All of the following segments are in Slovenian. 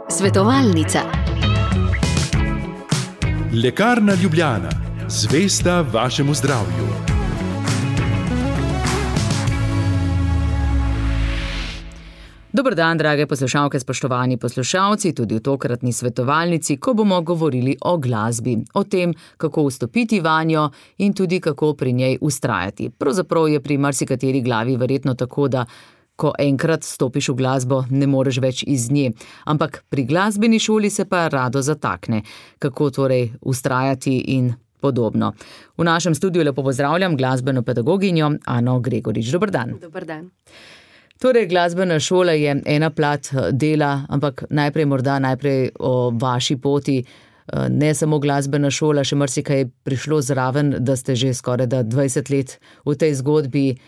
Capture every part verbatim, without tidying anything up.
Svetovalnica. Lekarna Ljubljana, zvesta vašemu zdravju. Dober dan, drage poslušalke, spoštovani poslušalci, tudi v tokratni svetovalnici, ko bomo govorili o glasbi, o tem, kako vstopiti vanjo in tudi kako pri njej vztrajati. Pravzaprav je pri marsikateri glavi verjetno tako, da ko enkrat stopiš v glasbo, ne moreš več iz nje. Ampak pri glasbeni šoli se pa rado zatakne. Kako torej vztrajati in podobno. V našem studiu lepo pozdravljam glasbeno pedagoginjo Ano Gregorič. Dober dan. Dober dan. Torej, glasbena šola je ena plat dela, ampak najprej morda najprej o vaši poti. Ne samo glasbena šola, še marsikaj je prišlo zraven, da ste že skoraj da dvajset let v tej zgodbi.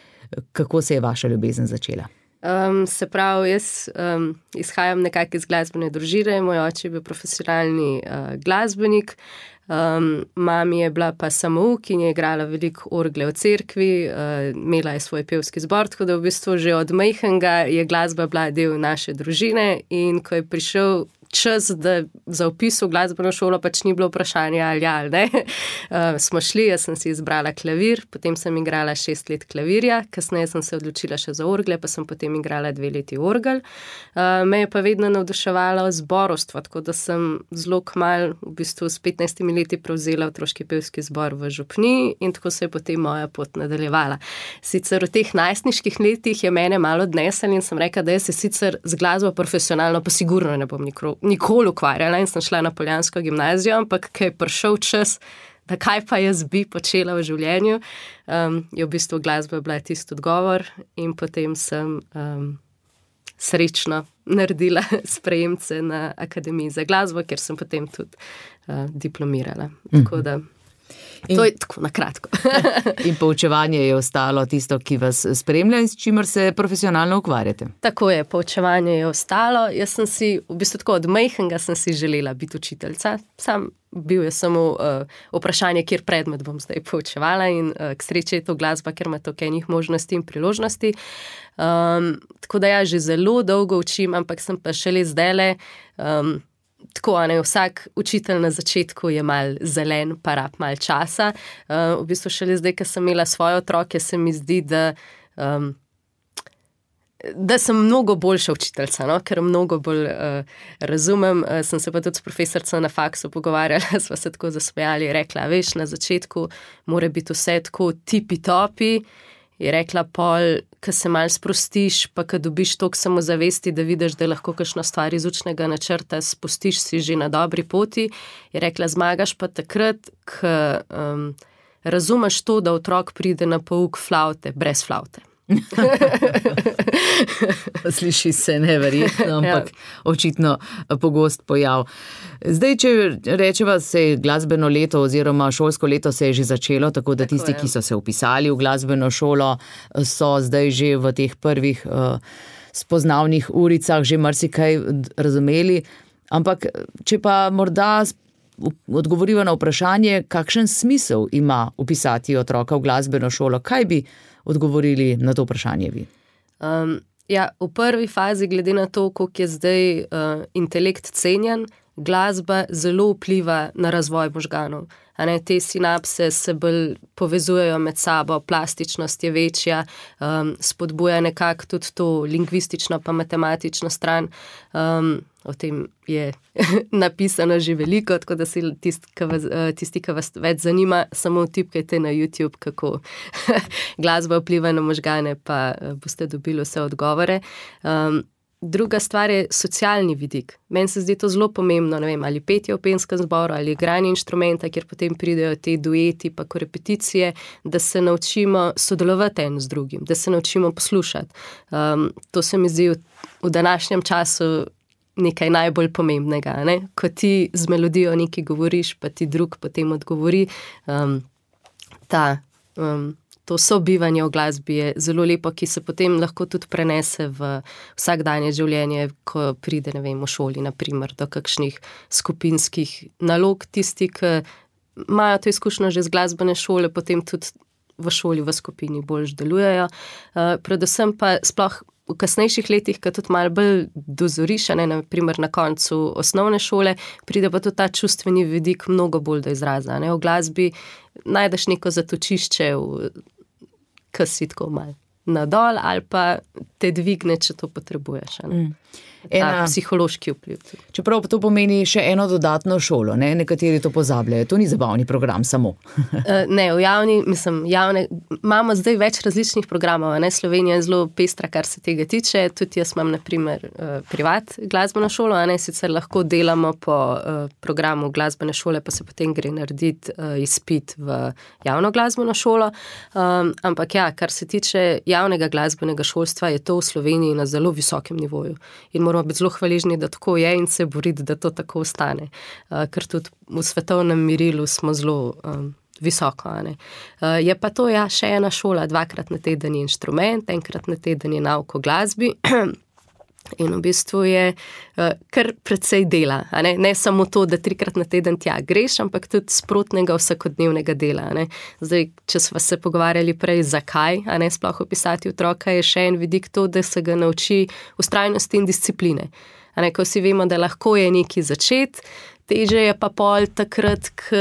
Kako se je vaša ljubezen začela? Um, se pravi, jaz um, izhajam nekako iz glasbene družine, moj oče je bil profesionalni uh, glasbenik, um, mami je bila pa samouk in je igrala veliko orgle v cerkvi, uh, imela je svoj pevski zbor, tako da v bistvu že od majhnega je glasba bila del naše družine in ko je prišel čas, da za vpis v glasbeno šolo pač ni bilo vprašanje ali ali ne. Uh, smo šli, jaz sem si izbrala klavir, potem sem igrala šest let klavirja, kasneje sem se odločila še za orgle, pa sem potem igrala dve leti orgel. Uh, me je pa vedno navduševalo zborovstvo, tako da sem zelo kmalu, v bistvu s petnajstimi leti prevzela otroški pevski zbor v Župniji in tako se je potem moja pot nadaljevala. Sicer v teh najstniških letih je mene malo odnesel in sem rekla, da jaz se sicer z glasbo profesionalno pa sigurno ne bom nikoli nikoli ukvarjala in sem šla na poljansko gimnazijo, ampak ko je prišel čas, da kaj pa jaz bi počela v življenju, um, je v bistvu glasba bila tisti odgovor in potem sem um, srečno naredila sprejemce na Akademiji za glasbo, kjer sem potem tudi uh, diplomirala. Mm-hmm. Tako da In, to je tako na kratko. In poučevanje je ostalo tisto, ki vas spremlja in s čimer se profesionalno ukvarjate. Tako je, poučevanje je ostalo. Jaz sem si, v bistvu tako od majhnega sem si želela biti učiteljica. Sam bil je samo uh, vprašanje, kjer predmet bom zdaj poučevala in uh, k sreči je to glasba, ker ima toliko enih možnosti in priložnosti. Um, tako da ja, že zelo dolgo učim, ampak sem pa šele zdajle um, tako, ne, vsak učitelj na začetku je mal zelen, pa rab mal časa. Uh, v bistvu šele zdaj, ko sem imela svoje otroke, se mi zdi, da, um, da sem mnogo boljša učiteljica, no? Ker mnogo bolj uh, razumem. Uh, sem se pa tudi s profesorco na faksu pogovarjala, sva se tako zasmejali, rekla, veš, na začetku mora biti vse tako tipi-topi. Je rekla pol, ko se mal sprostiš, pa ko dobiš toliko samozavesti, da vidiš, da lahko kakšno stvar iz učnega načrta spustiš, si že na dobri poti. Je rekla, zmagaš pa takrat, ko um, razumeš to, da otrok pride na pouk flavte, brez flavte. Sliši se neverjetno, ampak ja. Očitno pogost pojav. Zdaj, če rečeva, se je glasbeno leto oziroma šolsko leto se je že začelo, tako da tako tisti, je. Ki so se vpisali v glasbeno šolo, so zdaj že v teh prvih uh, spoznavnih uricah že marsikaj razumeli. Ampak, če pa morda odgovoriva na vprašanje, kakšen smisel ima vpisati otroka v glasbeno šolo, kaj bi odgovorili na to vprašanje vi? Um, ja, v prvi fazi, glede na to, koliko je zdaj uh, intelekt cenjen, glasba zelo vpliva na razvoj možganov. A ne, te sinapse se bolj povezujejo med sabo, plastičnost je večja, um, spodbuja nekako tudi to lingvistično pa matematično stran. Um, o tem je napisano že veliko, tako da si tisti, ki vas, tisti, ki vas več zanima, samo tipkajte na YouTube, kako glasba vpliva na možgane, pa boste dobili vse odgovore. Um, Druga stvar je socialni vidik. Meni se zdi to zelo pomembno, ne vem, ali petje v pevskem zboru, ali igranje inštrumenta, kjer potem pridejo te dueti pa korepeticije, da se naučimo sodelovati en z drugim, da se naučimo poslušati. Um, to se mi zdi v, v današnjem času nekaj najbolj pomembnega, ne? Ko ti z melodijo nekaj govoriš, pa ti drug potem odgovori, um, ta um, to sobivanje v glasbi je zelo lepo, ki se potem lahko tudi prenese v vsakdanje življenje, ko pride, ne vem, v šoli, naprimer, do kakšnih skupinskih nalog. Tisti, ki imajo to izkušnjo že z glasbene šole, potem tudi v šoli, v skupini bolj delujejo. Uh, predvsem pa sploh v kasnejših letih, ko tudi malo bolj dozoriš, ne, naprimer na koncu osnovne šole, pride pa tudi ta čustveni vidik mnogo bolj do izraza. Ne. V glasbi najdeš neko zatočišče, ko si tako malo nadol ali pa te dvigne, če to potrebuješ. Ne. Ena, psihološki vpliv. Čeprav to pomeni še eno dodatno šolo, ne? Nekateri to pozabljajo, to ni zabavni program samo. Ne, v javni, mislim, javne, imamo zdaj več različnih programov, ne? Slovenija je zelo pestra, kar se tega tiče, tudi jaz imam, na primer, privat glasbeno šolo, a ne, sicer lahko delamo po programu glasbene šole, pa se potem gre narediti izpit v javno glasbeno šolo, um, ampak ja, kar se tiče javnega glasbenega šolstva, je to v Sloveniji na zelo visokem nivoju. In moramo biti zelo hvaležni, da tako je in se boriti, da to tako ostane. Uh, ker tudi v svetovnem merilu smo zelo um, visoko. Ne? Uh, je pa to ja še ena šola, dvakrat na teden je inštrument, enkrat na teden je nauk o glasbi. In v bistvu je uh, kar precej dela. A ne? Ne samo to, da trikrat na teden tja greš, ampak tudi sprotnega vsakodnevnega dela. A ne? Zdaj, če smo se pogovarjali prej, zakaj, a ne sploh opisati otroka, je še en vidik to, da se ga nauči vztrajnosti in discipline. A ne? Ko vsi vemo, da lahko je nekaj začeti, teže je pa pol takrat, k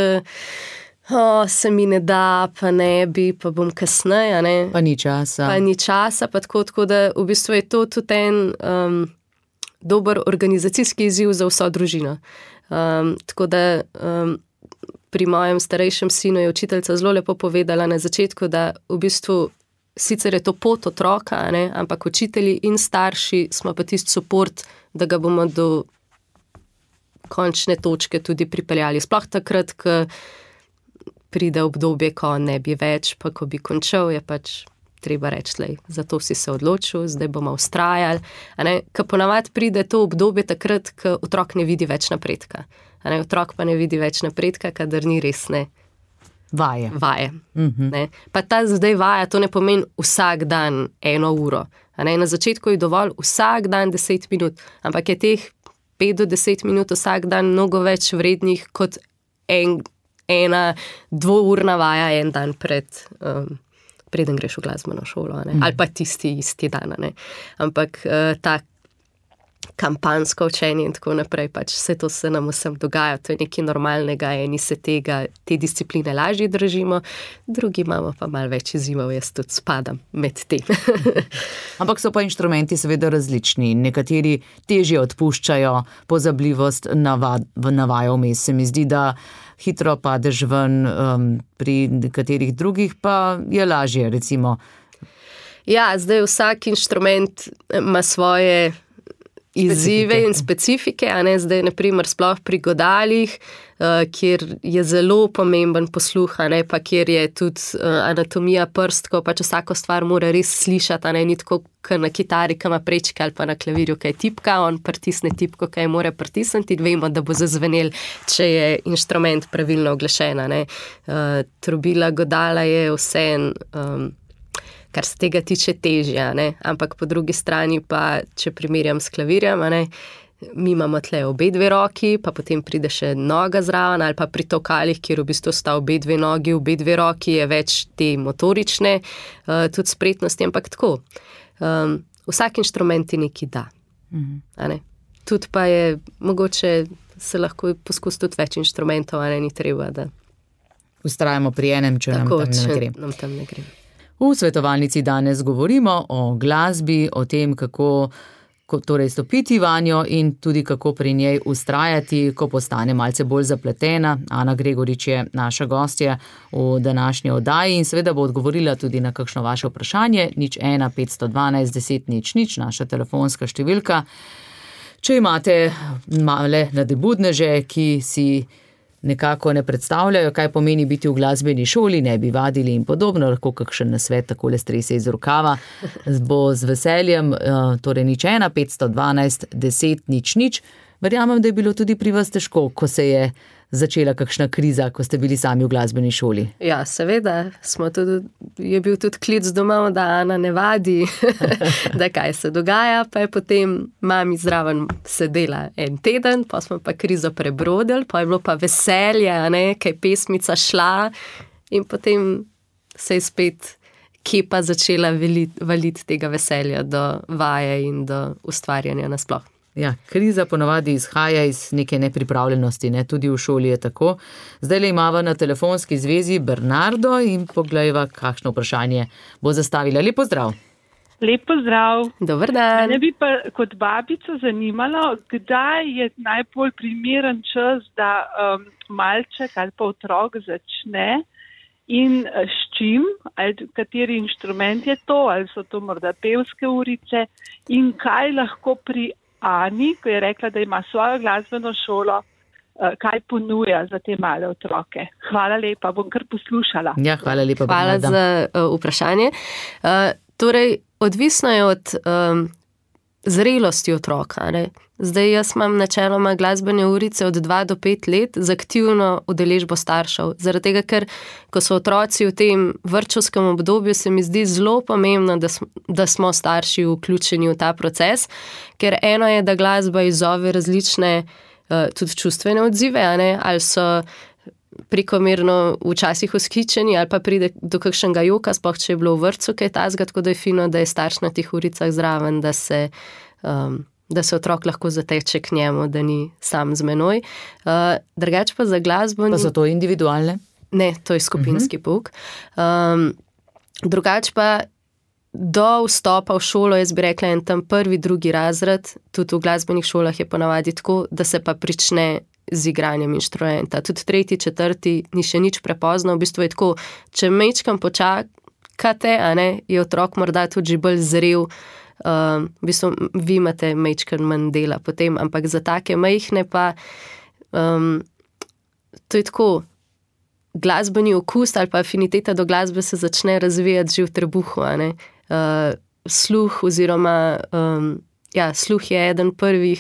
O, se mi ne da, pa ne bi, pa bom kasneje, ne. Pa ni časa. Pa ni časa, pa tako, tako da v bistvu je to tudi en um, dober organizacijski izziv za vso družino. Um, tako da um, pri mojem starejšem sinu je učiteljica zelo lepo povedala na začetku, da v bistvu sicer je to pot otroka, ne, ampak učitelji in starši smo pa tisti suport, da ga bomo do končne točke tudi pripeljali. Sploh takrat, ko pride obdobje, ko ne bi več, pa ko bi končal, je pač treba reči, lej, zato si se odločil, zdaj bomo vztrajali. Ko ponavadi pride to obdobje takrat, ko otrok ne vidi več napredka. A ne, otrok pa ne vidi več napredka, kadar ni resne vaje. vaje Mhm. ne. Pa ta zdaj vaja, to ne pomeni vsak dan eno uro. A ne, na začetku je dovolj vsak dan deset minut, ampak je teh pet do deset minut vsak dan mnogo več vrednih kot en ena dvourna vaja en dan pred, um, preden greš v glasbeno šolo, ne? Mm. Ali pa tisti isti dan, ne? Ampak uh, ta kampansko učenje in tako naprej, pač vse to se nam vsem dogaja, to je nekaj normalnega, eni se tega, te discipline lažje držimo, drugi imamo pa malo več izzivov, jaz tudi spadam med tem. Ampak so pa inštrumenti seveda različni, nekateri težje odpuščajo pozabljivost navad, navajo vmes, se mi zdi, da hitro padeš ven, um, pri nekaterih drugih pa je lažje, recimo. Ja, zdaj vsak inštrument ima svoje izzive in specifike, a ne, zdaj na primer sploh pri godalih, uh, kjer je zelo pomemben posluh, a ne, pa kjer je tudi uh, anatomija prstko, pač vsako stvar mora res slišati, a ne, ni tako na kitari, ki ima prečke ali pa na klavirju, kaj tipka, on pritisne tipko, kaj mora pritisniti in vemo, da bo zazvenel, če je inštrument pravilno oglašen, a ne. Uh, trobila godala je vseeno, um, kar se tega tiče težja, ne? Ampak po drugi strani pa, če primerjam s klavirjem, ne? Mi imamo tle obe dve roki, pa potem pride še noga zraven, ali pa pri tokalih, kjer v bistvu sta obe dve nogi, obe dve roki, je več te motorične, uh, tudi spretnosti, ampak tako. Um, vsak inštrument ti nekaj da. Mhm. A ne? Tudi pa je, mogoče se lahko poskusi tudi več inštrumentov, a ne, ni treba, da Vztrajamo pri enem, če tako, nam tam ne gre. nam tam ne gre. V svetovalnici danes govorimo o glasbi, o tem, kako, kako torej stopiti vanjo in tudi kako pri njej vztrajati, ko postane malce bolj zapletena. Ana Gregorič je naša gostja v današnji oddaji in seveda bo odgovorila tudi na kakšno vaše vprašanje. nič ena petsto dvanajst deset nič nič, naša telefonska številka. Če imate male nadebudneže, ki si nekako ne predstavljajo, kaj pomeni biti v glasbeni šoli, ne bi vadili in podobno, lahko kakšen nasvet takole strese iz rokava, bo z veseljem, torej nič ena petsto dvanajst deset nič nič. Verjamem, da je bilo tudi pri vas težko, ko se je začela kakšna kriza, ko ste bili sami v glasbeni šoli. Ja, seveda, smo tudi, je bil tudi klic domov, da Ana ne vadi, da kaj se dogaja, pa je potem mami zraven sedela en teden, pa smo pa krizo prebrodili, pa je bilo pa veselje, ne, kaj pesmica šla in potem se je spet kje pa začela valiti valit tega veselja do vaje in do ustvarjanja nasploh. Ja, kriza ponavadi izhaja iz neke nepripravljenosti, ne? Tudi v šoli je tako. Zdaj le imava na telefonski zvezi Bernardo in poglejva, kakšno vprašanje bo zastavila. Lep pozdrav. Lep pozdrav. Dober dan. Mene bi pa kot babico zanimalo, kdaj je najbolj primeren čas, da um, malček ali pa otrok začne in s čim, ali kateri inštrument je to, ali so to morda pevske urice in kaj lahko pri Ani, ko je rekla, da ima svojo glasbeno šolo, kaj ponuja za te male otroke. Hvala lepa, bom kar poslušala. Ja, hvala lepa. Hvala Bernarda. za uh, vprašanje. Uh, torej, odvisno je od um, zrelosti otroka. Ne? Zdaj jaz imam načeloma glasbene urice od dva do pet let z aktivno udeležbo staršev. Zaradi tega, ker ko so otroci v tem vrtčevskem obdobju, se mi zdi zelo pomembno, da smo, da smo starši vključeni v ta proces, ker eno je, da glasba izzove različne uh, tudi čustvene odzive, a ne? Ali so prekomerno včasih vzhičeni ali pa pride do kakšnega joka, sploh če je bilo v vrtcu kaj tazga, tako da je fino, da je starš na teh uricah zraven, da se, um, da se otrok lahko zateče k njemu, da ni sam z menoj. Uh, drugače pa za glasbo... Pa so to individualne? Ne, to je skupinski uh-huh. pouk. Um, drugače pa do vstopa v šolo, jaz bi rekla, en tam prvi, drugi razred, tudi v glasbenih šolah je ponavadi tako, da se pa prične z igranjem inštrumenta. Tudi tretji, četrti, ni še nič prepozno, v bistvu je tako, če mečkam počakate, a ne, je otrok morda tudi že bolj zrel, um, v bistvu vi imate mečkan manj dela potem, ampak za take majhne pa um, to je tako, glasbeni okus ali pa afiniteta do glasbe se začne razvijati že v trebuhu, a ne. Uh, sluh oziroma um, ja, sluh je eden prvih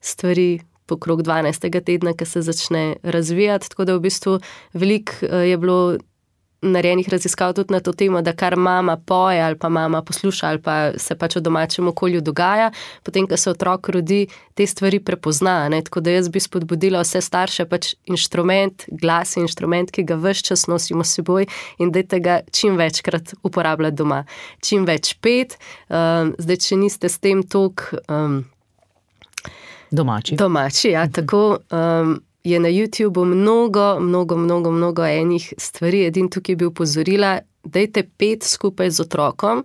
stvari pokrog dvanajstega tedna, ki se začne razvijati, tako da v bistvu veliko je bilo narejenih raziskav tudi na to temo, da kar mama poje ali pa mama posluša ali pa se pač v domačem okolju dogaja, potem, ko se otrok rodi, te stvari prepozna, ne? Tako da jaz bi spodbudila vse starše, pač inštrument, glas je inštrument, ki ga ves čas nosimo s seboj in dajte ga čim večkrat uporabljati doma. Čim več pet, um, zdaj, če niste s tem toliko um, Domači. Domači, ja, tako um, je na YouTubeu mnogo, mnogo, mnogo, mnogo enih stvari. Edin tukaj bi upozorila, dajte pet skupaj z otrokom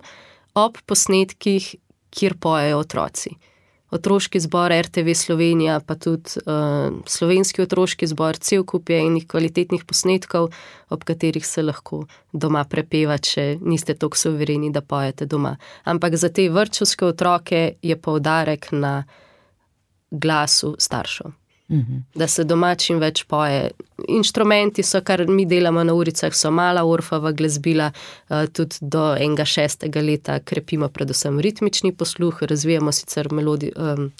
ob posnetkih, kjer pojejo otroci. Otroški zbor R T V Slovenija, pa tudi uh, slovenski otroški zbor, cel kup je enih kvalitetnih posnetkov, ob katerih se lahko doma prepeva, če niste toliko suvereni, da pojete doma. Ampak za te vrtčevske otroke je poudarek na glasu staršev. Uh-huh. Da se doma čim več poje. Inštrumenti so, kar mi delamo na uricah, so mala orfova glasbila, tudi do enega šestega leta krepimo predvsem ritmični posluh, razvijamo sicer melodi, um,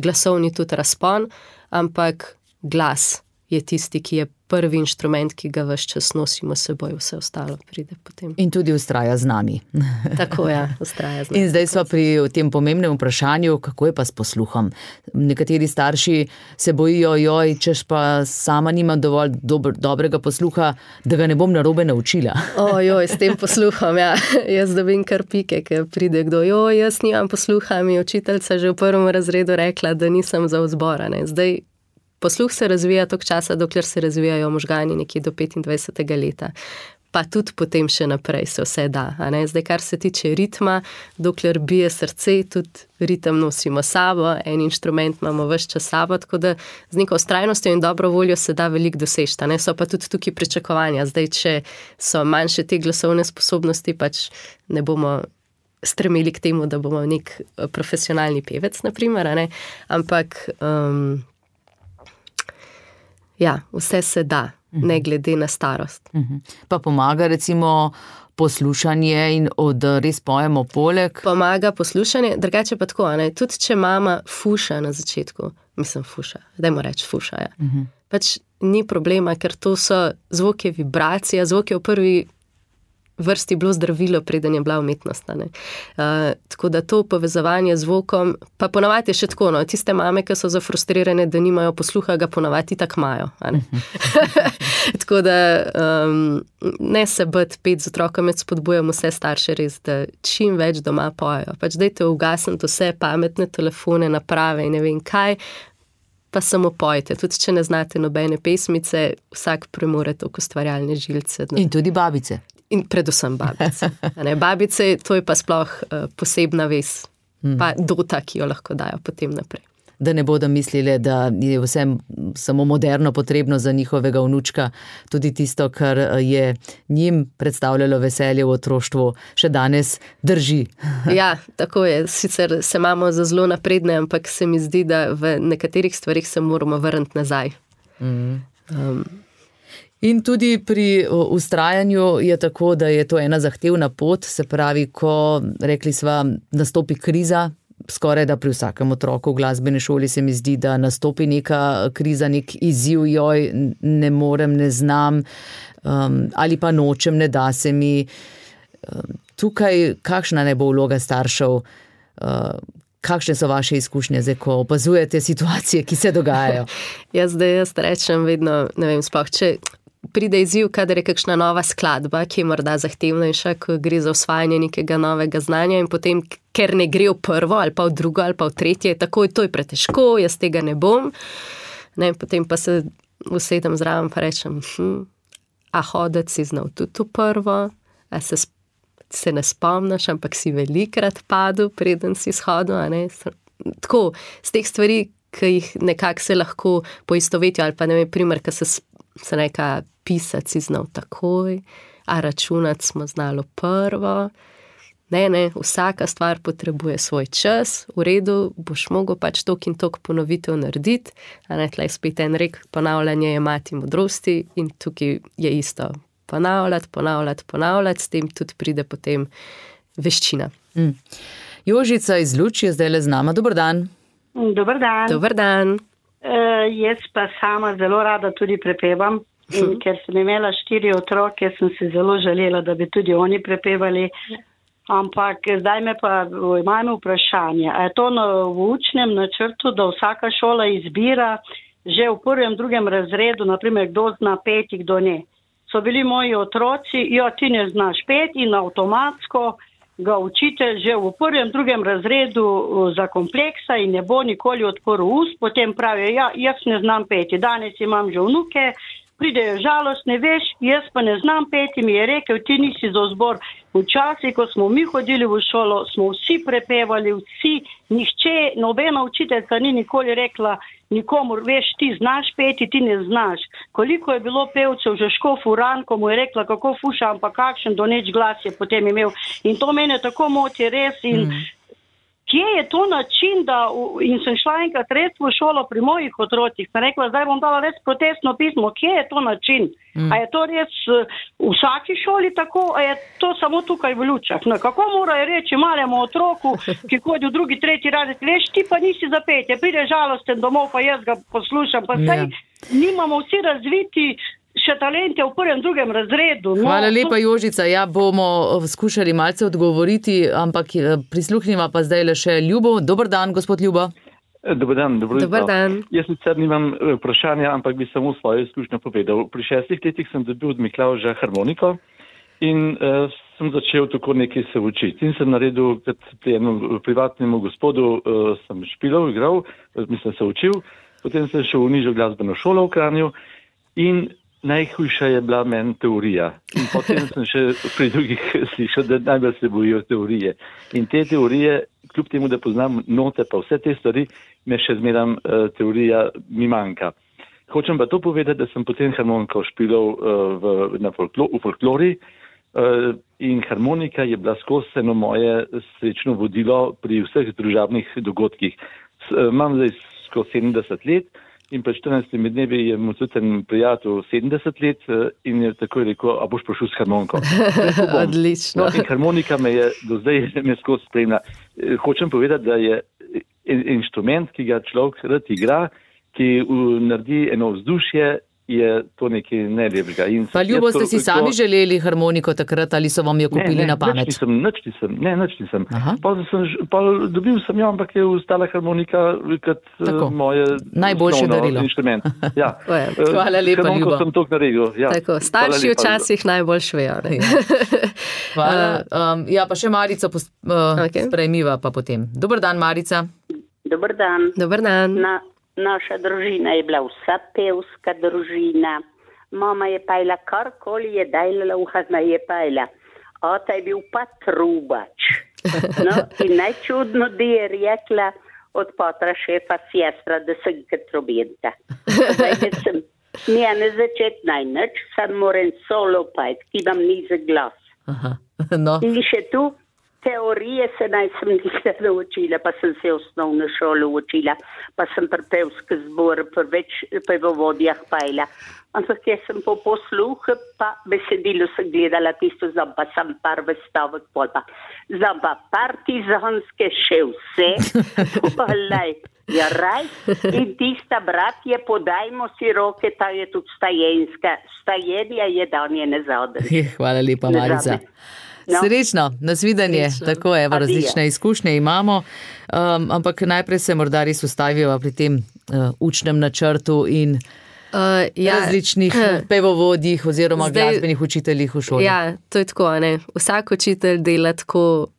glasovni tudi razpon, ampak glas je tisti, ki je prvi inštrument, ki ga ves čas nosimo s seboj, vse ostalo pride potem. In tudi ustraja z nami. Tako ja, ustraja z nami. In zdaj smo pri tem pomembnem vprašanju, kako je pa s posluhom. Nekateri starši se bojijo, joj, češ pa sama nimam dovolj dober, dobrega posluha, da ga ne bom narobe naučila. Ojoj, s tem posluhom, ja. Jaz dobim kar pike, ker pride kdo, joj, jaz nimam posluha, mi je učiteljica že v prvem razredu rekla, da nisem za vzbora. Ne. Zdaj, posluh se razvija toliko časa, dokler se razvijajo možgani nekje do petindvajsetega leta. Pa tudi potem še naprej se vse da. A ne? Zdaj, kar se tiče ritma, dokler bije srce, tudi ritem nosimo sabo, en inštrument imamo ves čas sabo, tako da z neko vztrajnostjo in dobro voljo se da veliko doseči. A ne? So pa tudi tukaj pričakovanja. Zdaj, če so manjše te glasovne sposobnosti, pač ne bomo stremeli k temu, da bomo nek profesionalni pevec, na primer, a ne? Ampak um, ja, vse se da, ne glede na starost. Pa pomaga recimo poslušanje in od res pojemo poleg? Pomaga poslušanje, drugače pa tako, ne? Tudi če mama fuša na začetku, mislim fuša, dajmo reči fuša, ja. Uh-huh. Pač ni problema, ker to so zvoke vibracija, zvoke v prvi vrsti bilo zdravilo, preden je bila umetnost. Uh, tako da to povezovanje z zvokom, pa ponavadi je še tako, no, tiste mame, ki so zafrustrirane, da nimajo posluha, ga ponavadi tak imajo. Tako da um, ne se biti pet z otrokom, med spodbujamo vse starše res, da čim več doma pojejo. Pač dajte ugasniti vse pametne telefone, naprave in ne vem kaj, pa samo pojte. Tudi če ne znate nobene pesmice, vsak premore toliko ustvarjalne žilce. In tudi babice. In predvsem babice. Ne, babice, to je pa sploh uh, posebna vez, mm. pa dota, ki jo lahko dajo potem naprej. Da ne bodo mislili, da je vse samo moderno potrebno za njihovega vnučka, tudi tisto, kar je njim predstavljalo veselje v otroštvu, še danes drži. Ja, tako je. Sicer se imamo za zelo napredne, ampak se mi zdi, da v nekaterih stvarih se moramo vrniti nazaj. Mm. Um, In tudi pri vztrajanju je tako, da je to ena zahtevna pot, se pravi, ko, rekli sva, nastopi kriza, skoraj da pri vsakem otroku v glasbeni šoli se mi zdi, da nastopi neka kriza, nek izziv, joj, ne morem, ne znam, um, ali pa nočem, ne da se mi. Um, tukaj, kakšna ne bo vloga staršev, uh, kakšne so vaše izkušnje zdaj, ko opazujete situacije, ki se dogajajo? Jaz zdaj jaz rečem vedno, ne vem, sploh, če pride izziv, kadar je kakšna nova skladba, ki je morda zahtevnejša, ko gre za osvajanje nekega novega znanja in potem, ker ne gre v prvo ali pa v drugo ali pa v tretje, takoj to je pretežko, jaz tega ne bom. Ne, potem pa se usedem zraven pa rečem, hm, a hodec si znal tudi v prvo, a se, se ne spomniš, ampak si velikrat padel, preden si shodil, a ne. Tako, z teh stvari, ki jih nekako se lahko poistovetijo, ali pa ne vem, primer, ki se, se neka pisati si znal takoj, a računati smo znali prvo. Ne, ne, vsaka stvar potrebuje svoj čas, v redu, boš mogel pač tok in tok ponovitev narediti, a ne, tlej spet en rek, ponavljanje je mati modrosti in tukaj je isto. Ponavljati, ponavljati, ponavljati, s tem tudi pride potem veščina. Mm. Jožica iz Luč je zdaj le z nama. Dober dan. Dober dan. Dober dan. Uh, jaz pa sama zelo rada tudi prepevam, in ker sem imela štiri otroke, sem se zelo želela, da bi tudi oni prepevali. Ampak zdaj me pa imamo vprašanje, a je to na, v učnem načrtu, da vsaka šola izbira že v prvem, drugem razredu, naprimer, kdo zna peti, kdo ne. So bili moji otroci, jo ti ne znaš peti in avtomatsko ga učitelj že v prvem, drugem razredu zakompleksa in ne bo nikoli odprl ust, potem pravi, ja, jaz ne znam peti, danes imam že vnuke, pridejo žalostne, veš, jaz pa ne znam peti, mi je rekel, ti nisi za zbor. Včasih, ko smo mi hodili v šolo, smo vsi prepevali, vsi, nihče, nobena učiteljica ni nikoli rekla nikomu, veš, ti znaš peti, ti ne znaš. Koliko je bilo pevcev, že Škof Uran, ko mu je rekla, kako fuša, ampak kakšen doneč glas je potem imel. In to mene tako moti res in mm. Kje je to način, da, in sem šla enkrat res v šolo pri mojih otrocih, sem rekla, zdaj bom dala res protestno pismo, kje je to način? Mm. A je to res v vsaki šoli tako, a je to samo tukaj v Lučah? No, kako morajo reči malemu otroku, ki hodi v drugi, tretji razred, veš, ti pa nisi za petje, pride žalosten domov, pa jaz ga poslušam, pa saj yeah. nimamo vsi razviti še talente v prvem, drugem razredu. No, Hvala lepa, Jožica. Ja, bomo skušali malce odgovoriti, ampak prisluhnimo pa zdaj le še Ljubo. Dober dan, gospod Ljubo. Dober dan, dobro jutro. Dober dan. Jaz sicer nimam vprašanja, ampak bi samo svojo izkušnjo povedal. Pri šestih letih sem dobil od Miklavža harmoniko in uh, sem začel tako nekaj se učiti. In sem naredil, kot pri enem privatnemu gospodu, uh, sem špilov, igral, mislim, se učil. Potem sem šel v nižjo glasbeno šolo v Kranju in najhujša je bila meni teorija. In potem sem še pri drugih slišal, da najbolj se bojijo teorije. In te teorije, kljub temu, da poznam note pa vse te stvari, me še zmeram uh, teorija mi manjka. Hočem pa to povedati, da sem potem harmoniko špilal uh, v, na folklo, v folklori uh, in harmonika je bila skozi eno moje srečno vodilo pri vseh družabnih dogodkih. S, uh, imam zdaj skozi sedemdeset let, in pred štirinajstimi dnevi je mu tudi en prijatelj sedemdeset let in je takoj rekel, a boš prišel s harmoniko. Odlično. No, in harmonika me je do zdaj me skozi spremlja. Hočem povedati, da je inštrument, ki ga človek rad igra, ki naredi eno vzdušje je to nekaj nelepega. Pa Ljubo, ste si sami to... želeli harmoniko takrat ali so vam jo kupili ne, ne, na pamet? Nič nisem, nič nisem, ne, nič nisem. Pa, sem, pa dobil sem jo, ampak je ostala harmonika kot uh, moje najboljše darilo. Inštrument. Ja. Hvala lepa, Ljubo. Sem to naredil. Ja. Tako, starši včasih najbolj švejo. Hvala. Um, ja, pa še Marico pos, uh, okay. sprejmiva pa potem. Dobar dan, Marica. Dobar dan. Dobar dan. Na, naša družina je bila vsa pevska družina. Mama je pajla karkoli je dajala, uhazna je pajla. Ota je bil pa trubač. No, in najčudno, da je rekla od potra šefa sestra, da sem kot trobenta. Zdaj, da sem njene začet najnič, sam moram solo pajt, ki imam nizek glas. Aha, no. In še tu teorije se naj sem nikdar naučila, pa sem se osnovno šolo učila, pa sem pri pevski zbor, pri več pevovodjah pajla. Ampak jaz sem po posluhu, pa besedilo sem gledala tisto, znam pa sem par vestavek pol pa. Znam pa partizanske še vse, polaj, ja raj, in tista bratje, podajmo si roke, ta je tudi stajenska, stajenja je danje ne zadrži. Hvala lepa, Marica. No. Srečno, nasvidenje, Srečno. Tako je, različne izkušnje imamo, um, ampak najprej se morda res ustavijo pri tem uh, učnem načrtu in uh, ja, različnih uh, pevovodjih oziroma zdaj, glasbenih učiteljih v šoli. Ja, to je tako, ne. Vsak učitelj dela tako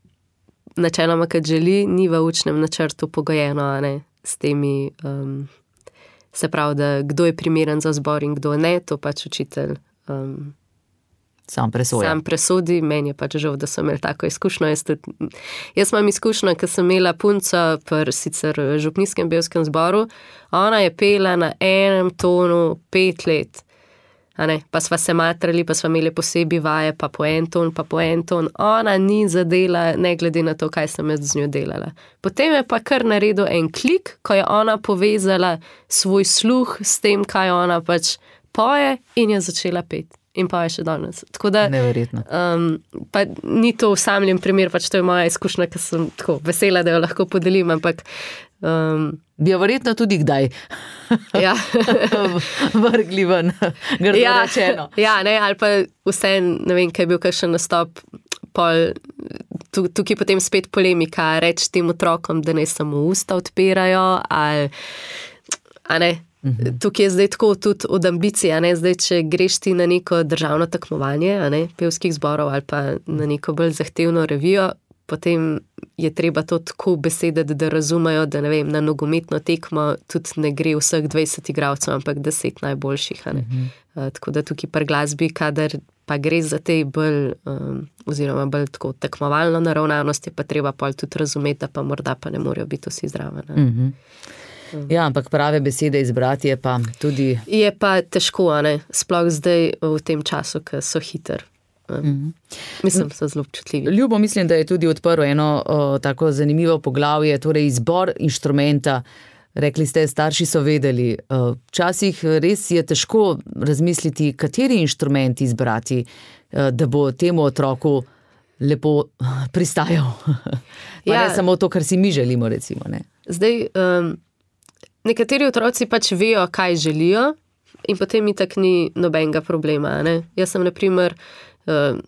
načeloma, kad želi, ni v učnem načrtu pogojeno, ne, s temi, um, se pravi, da kdo je primeren za zbor in kdo ne, to pač učitelj um, Sam presoja. Sam presodi, meni je pač žal, da sem imel tako izkušnjo. Jaz, tudi, jaz imam izkušnjo, ker sem imela punco pri sicer župnijskem pevskem zboru, ona je pela na enem tonu pet let. A ne? Pa sva se matrali, pa sva imeli posebej vaje, pa po en ton, pa po en ton. Ona ni zadela, ne glede na to, kaj sem jaz z njo delala. Potem je pa kar naredil en klik, ko je ona povezala svoj sluh s tem, kaj ona pač poje in je začela peti. In pa je še danes. Tako da, neverjetno. Um, pa ni to usamljen primer, pač to je moja izkušnja, ker sem tako vesela, da jo lahko podelim, ampak um, bi jo verjetno tudi kdaj ja. vrgli ven, grdo ja, rečeno. Ja, ne, ali pa vse, ne vem, kaj je bil kakšen nastop, pol, tukaj potem spet polemika, reči tem otrokom, da ne samo usta odpirajo, ali, a ne, tukaj je zdaj tako tudi od ambicije, a ne, zdaj, če greš ti na neko državno tekmovanje, a ne, pevskih zborov ali pa na neko bolj zahtevno revijo, potem je treba to tako besediti, da razumejo, da ne vem, na nogometno tekmo tudi ne gre vseh dvajset igralcev, ampak deset najboljših, a ne. Uh-huh. Uh, tako da tukaj pri glasbi, kadar pa gre za te bolj, um, oziroma bolj tako tekmovalno naravnanost, je pa treba pol tudi razumeti, da pa morda pa ne morejo biti vsi zraven. Uh-huh. Ja, ampak prave besede izbrati je pa tudi... Je pa težko, a ne? Sploh zdaj v tem času, ko so hiter. Mm-hmm. Mislim, so zelo občutljivi. Ljubo, mislim, da je tudi odprlo eno o, tako zanimivo poglavje, torej izbor inštrumenta. Rekli ste, starši so vedeli. Včasih res je težko razmisliti, kateri inštrument izbrati, da bo temu otroku lepo pristajal. Pa ja. Ne samo to, kar si mi želimo, recimo. Ne? Zdaj... Um, Nekateri otroci pač vejo, kaj želijo in potem itak ni nobenega problema. Ne? Jaz sem, na primer, uh,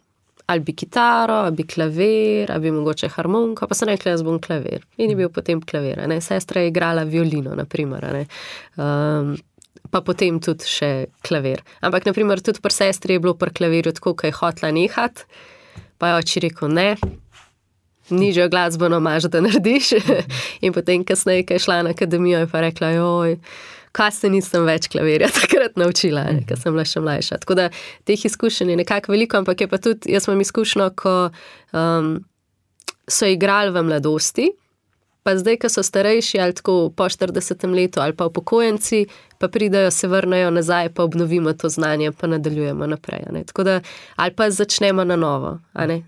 ali bi kitaro, ali bi klavir, ali bi mogoče harmoniko, pa sem rekla, jaz bom klavir. In je bil potem klavir. Ne? Sestra je igrala violino, na primer. Ne? Um, pa potem tudi še klavir. Ampak, na primer, tudi pri sestri je bilo pri klavirju tako, kaj je hotla nehati, pa je oči rekel ne. Nižjo glasbeno imaš, da narediš. In potem kasneje, ko je šla na akademijo, je pa rekla, joj, kaj se nisem več klavirja takrat naučila, ne, ko sem bila še mlajša. Tako da teh izkušenj je nekako veliko, ampak je pa tudi, jaz imam izkušnjo, ko um, so igrali v mladosti, pa zdaj, ko so starejši ali tako po štiridesetem letu ali pa upokojenci, pa pridajo, se vrnejo nazaj, pa obnovimo to znanje, pa nadaljujemo naprej. Ne. Tako da, ali pa začnemo na novo.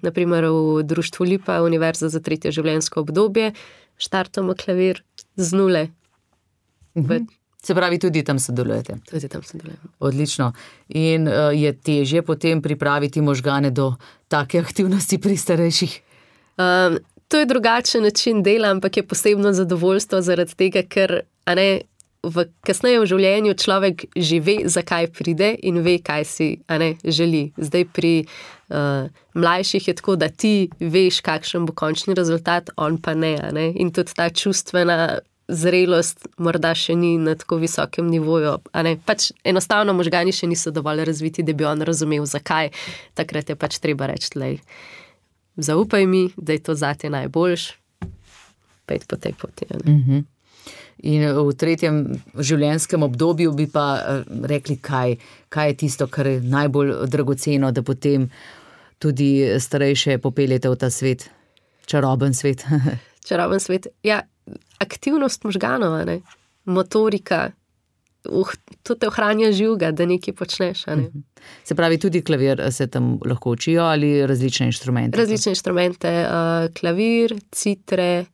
Naprimer v društvu Lipa, Univerza za tretje življenjsko obdobje, štartamo klavir z nule. Mhm. Se pravi, tudi tam sodelujete. Tudi tam sodelujemo. Odlično. In uh, je težje potem pripraviti možgane do take aktivnosti pri starejših? Um, To je drugačen način dela, ampak je posebno zadovoljstvo zaradi tega, ker a ne, v kasneje v življenju človek že ve, zakaj pride in ve, kaj si a ne, želi. Zdaj pri uh, mlajših je tako, da ti veš, kakšen bo končni rezultat, on pa ne, a ne. In tudi ta čustvena zrelost morda še ni na tako visokem nivoju. A ne. Pač enostavno možgani še niso dovolj razviti, da bi on razumel, zakaj. Takrat je pač treba reči, lej, zaupaj mi, da je to zate najboljš, pejt po tej poti. A ne. Mhm. In v tretjem življenjskem obdobju bi pa rekli, kaj, kaj je tisto, kar je najbolj dragoceno, da potem tudi starejše popeljete v ta svet, čaroben svet. Čaroben svet, ja, aktivnost možganov, ne? Motorika, uh, to te ohranja živega, da nekaj počneš. Ne? Se pravi, tudi klavir se tam lahko učijo ali različne inštrumente? Različne inštrumente, uh, klavir, citre,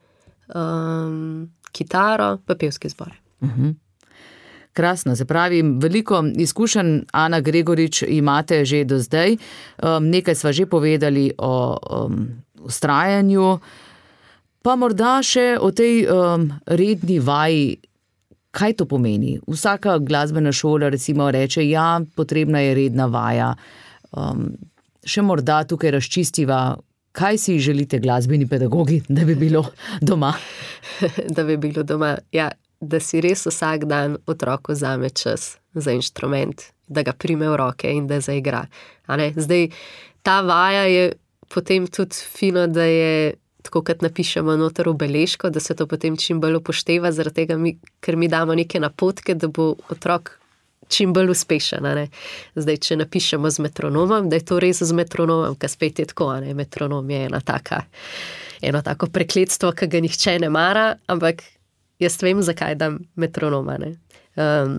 um, kitaro, pa pevski zbor. Uh-huh. Krasno, se pravi, veliko izkušenj, Ana Gregorič, imate že do zdaj. Um, nekaj sva že povedali o um, vztrajanju, pa morda še o tej um, redni vaji. Kaj to pomeni? Vsaka glasbena šola recimo reče, ja, potrebna je redna vaja. Um, še morda tukaj razčistiva, kaj si želite glasbeni pedagogi, da bi bilo doma? Da bi bilo doma, ja, da si res vsak dan otroku vzame čas za inštrument, da ga prime v roke in da zaigra. A ne? Zdaj, ta vaja je potem tudi fino, da je tako, kot napišemo noter v beležko, da se to potem čim bolj upošteva, zaradi tega, mi, ker mi damo neke napotke, da bo otrok čim bolj uspešen. Ne? Zdaj, če napišemo z metronomom, da je to res z metronomom, ker spet je tako, ne? Metronom je ena taka, eno tako prekletstvo, ki ga nihče ne mara, ampak jaz vem, zakaj dam metronoma. Ne? Um,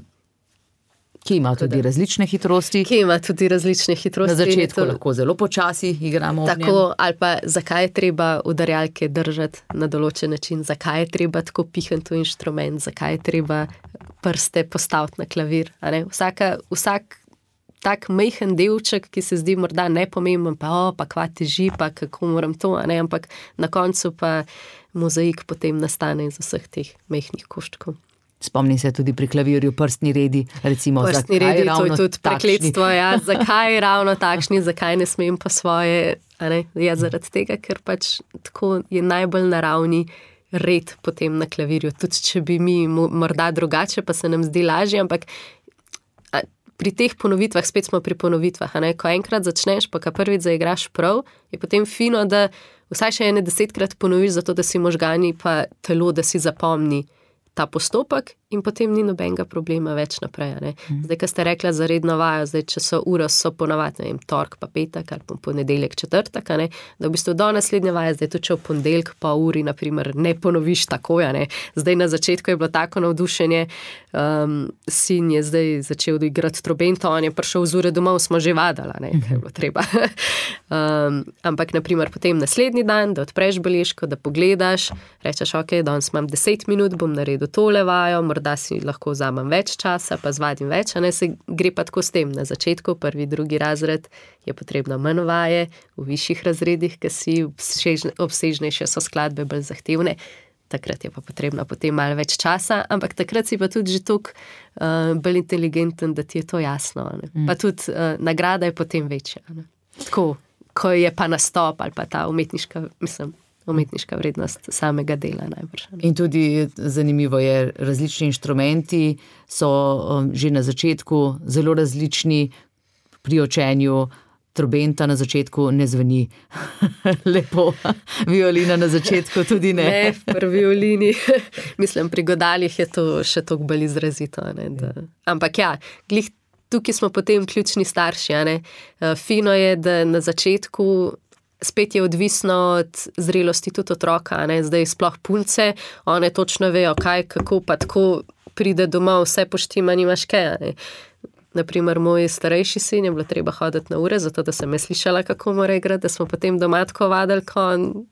ki ima tudi da, različne hitrosti. Ki ima tudi različne hitrosti. Na začetku to, lahko zelo počasi igramo. Tako, ali pa zakaj je treba udarjalke držati na določen način, zakaj je treba tako pihati v inštrument, zakaj je treba prste postaviti na klavir. A ne? Vsaka, vsak tak majhen delček, ki se zdi morda nepomemben, pa o, pa kva teži, pa kako moram to, a ne? Ampak na koncu pa mozaik potem nastane iz vseh teh majhnih koščkov. Spomnim se tudi pri klavirju prstni redi, recimo, prstni zakaj redi, ravno to je tudi prekletstvo, ja, zakaj ravno takšni, zakaj ne smem pa svoje, a ne, ja, zaradi tega, ker pač tako je najbolj naravni red potem na klavirju, tudi če bi mi morda drugače, pa se nam zdi lažje, ampak a, pri teh ponovitvah, spet smo pri ponovitvah, a ne, ko enkrat začneš, pa ka prvič zaigraš prav, je potem fino, da vsaj še ene desetkrat ponoviš, zato da si možgani pa telo, da si zapomni ta postopek in potem ni nobenega problema več naprej. Ne? Zdaj, ko ste rekla za redno vajo, zdaj, če so ure, so ponavadi, ne vem, tork pa petek ali pa ponedeljek četrtek, ne? Da v bistvu do naslednje vaje, zdaj tudi če v ponedeljek pa uri, naprimer, ne ponoviš tako, ja, ne? Zdaj na začetku je bilo tako navdušenje, um, sin je zdaj začel igrati trobento, on je prišel z ure domov, smo že vadala, ne? Kaj je bilo treba. um, ampak, naprimer, potem naslednji dan, da odpreš beležko, da pogledaš, rečeš, ok, danes imam deset minut, bom naredil tole vajo, morda si lahko vzamem več časa, pa zvadim več, a ne, se gre pa tako s tem. Na začetku, prvi, drugi razred, je potrebno manj vaje, v višjih razredih, ki si obsežnejše so skladbe bolj zahtevne, takrat je pa potrebno potem malo več časa, ampak takrat si pa tudi že toliko uh, bolj inteligenten, da ti je to jasno. Ne? Mm. Pa tudi uh, nagrada je potem večja. Ne? Tako, ko je pa nastop ali pa ta umetniška, mislim, umetniška vrednost samega dela najbrž. In tudi zanimivo je, različni inštrumenti so um, že na začetku zelo različni. Pri učenju trobenta na začetku ne zveni lepo, violina na začetku tudi ne. Ne, pri violini, mislim, pri godalih je to še toliko bolj izrazito. Ne, da... Ampak ja, glih tukaj smo potem ključni starši. A ne. Fino je, da na začetku spet je odvisno od zrelosti tudi otroka, ne? Zdaj sploh punce, one točno vejo, kaj, kako, pa tako pride domov, vse poštima, nimaš kaj. Naprimer, moj starejši sin je bilo treba hoditi na ure, zato da sem je slišala, kako mora igrati, da smo potem doma tako vadili, ko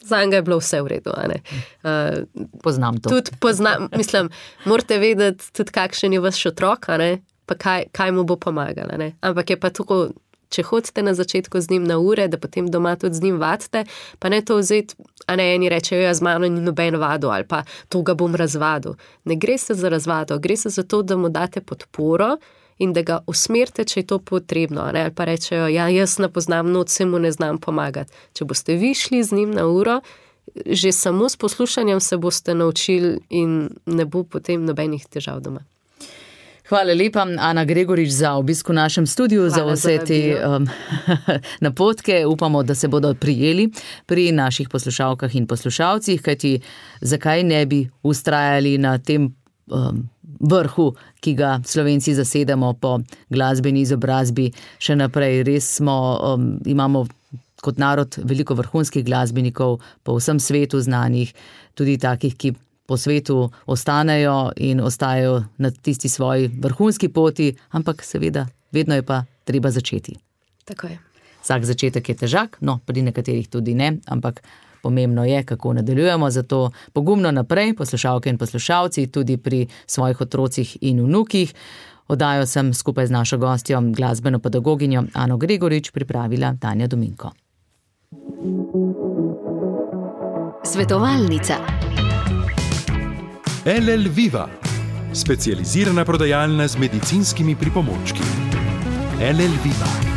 za njega je bilo vse v redu. A ne? Uh, poznam to. Tudi poznam, mislim, morate vedeti tudi, kakšen je vaš otrok, a ne? Pa kaj, kaj mu bo pomagala. Ne? Ampak je pa tako, če hodite na začetku z njim na ure, da potem doma tudi z njim vadite, pa ne to vzeti, a ne eni rečejo, ja, z mano ni noben vado ali pa to ga bom razvadil. Ne gre se za razvado, gre se za to, da mu date podporo in da ga usmerite, če je to potrebno, ne? Ali pa rečejo, ja, jaz ne poznam noč, se mu ne znam pomagati. Če boste vi šli z njim na uro, že samo s poslušanjem se boste naučili in ne bo potem nobenih težav doma. Hvala lepa, Ana Gregorič, za obisk v našem studiu, Hvala za vse te um, napotke. Upamo, da se bodo prijeli pri naših poslušalkah in poslušalcih, kajti zakaj ne bi ustrajali na tem um, vrhu, ki ga Slovenci zasedamo po glasbeni izobrazbi še naprej. Res smo, um, imamo kot narod veliko vrhunskih glasbenikov po vsem svetu znanih, tudi takih, ki po svetu ostanejo in ostajajo na tisti svoji vrhunski poti, ampak seveda vedno je pa treba začeti. Tako je. Vsak začetek je težak, no, pri nekaterih tudi ne, ampak pomembno je, kako nadaljujemo, zato pogumno naprej, poslušalke in poslušalci, tudi pri svojih otrocih in vnukih. Oddajo sem skupaj z našo gostjo, glasbeno pedagoginjo Ano Gregorič, pripravila Tanja Dominko. Svetovalnica. L L Viva, specializirana prodajalna z medicinskimi pripomočki. L L Viva.